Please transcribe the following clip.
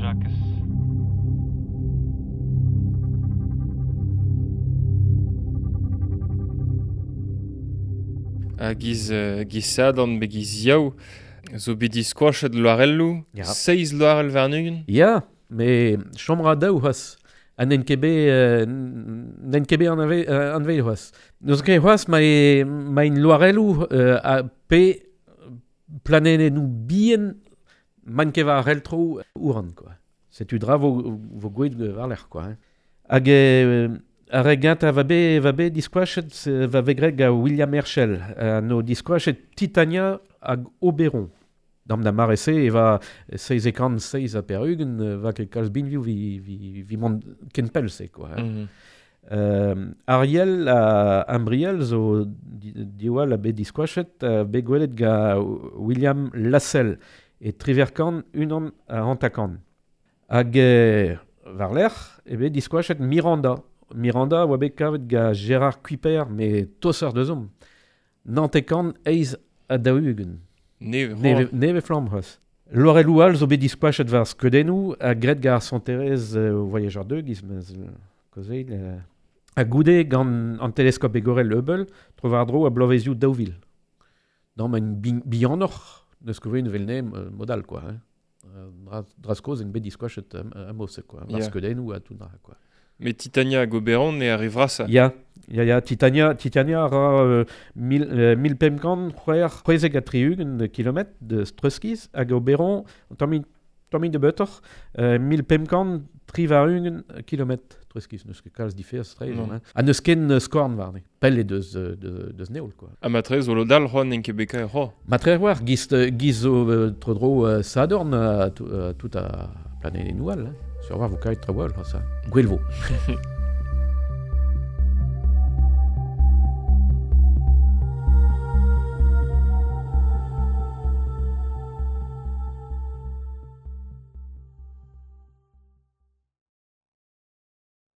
Jakez. Ha giz, giz Sadorn be giz Yaou, zo bet diskoachet loarelloù, Ya. seiz loarell warn-ugent. Ya, me chom ra daou c'hoazh. Ha n'en ket bet, n'en ket bet anvet c'hoazh. N'eus ket c'hoazh ma e, ma in loarelloù a pe planenennoù bihan man ket war reltro ouran, quoi. Setu dra vo, vo gweet war-lerc'h, quoi. Hein. Hag ar re gentañ va bet diskoachet va bet graet gant William Herschel. No diskoachet Titania hag Oberon. Dam da mare-se e va seiz e kant seiz ha per-ugent, va ket kalz binvioù vi, vi, vi mont ken pell se, quoi. Hein. Ariel ha Ambriel zo diwall a bet diskoachet, bet gwelet gant William Lassell e triverkant unan a hantakant. Hag war-lerc'h e bet diskoachet Miranda. Miranda oa bet kavet gant Gérard Kuiper, me tosser deus omp. Nantekant eiz ha daou-ugent. Neve, Neve, neve flamm c'hoazh. Loarelloù all zo bet diskoachet war skeudennoù ha graet gant ar Santerez Voyageur 2, giz ma'z kaozeil. Ha goude gant an teleskop egorel Hubble, tro war-dro a bloavezioù 2000. Dam en bihanoc'h, neus ket vet vel ne modal, quoi. Hein. Dra skoz en bet diskoachet amos, quoi. War skeudennoù ha tout dra, quoi. Mais Titania hag Oberon e arrive ça. Ya, ya, ya, Titania, Titania a ra mil pemp kant c'hwec'h c'hwezek ha tri-ugent kilometr de Streuskiz hag Oberon, tamm de beutoc'h, 1500 tri war-ugent kilometr Streuskiz, n'eus ket kalz diferz tre, hein. Ha n'eus ken skorn warne, pell eo deus, deus neol, quoi. Ha matre zo lodal c'hoant n'en ket bet kaer c'hoa. Matre war, giz, giz zo tro-dro Sadorn, tout a planenennoù all, hein. Sur war vo kaet tro-wall, ça. Gwell vo.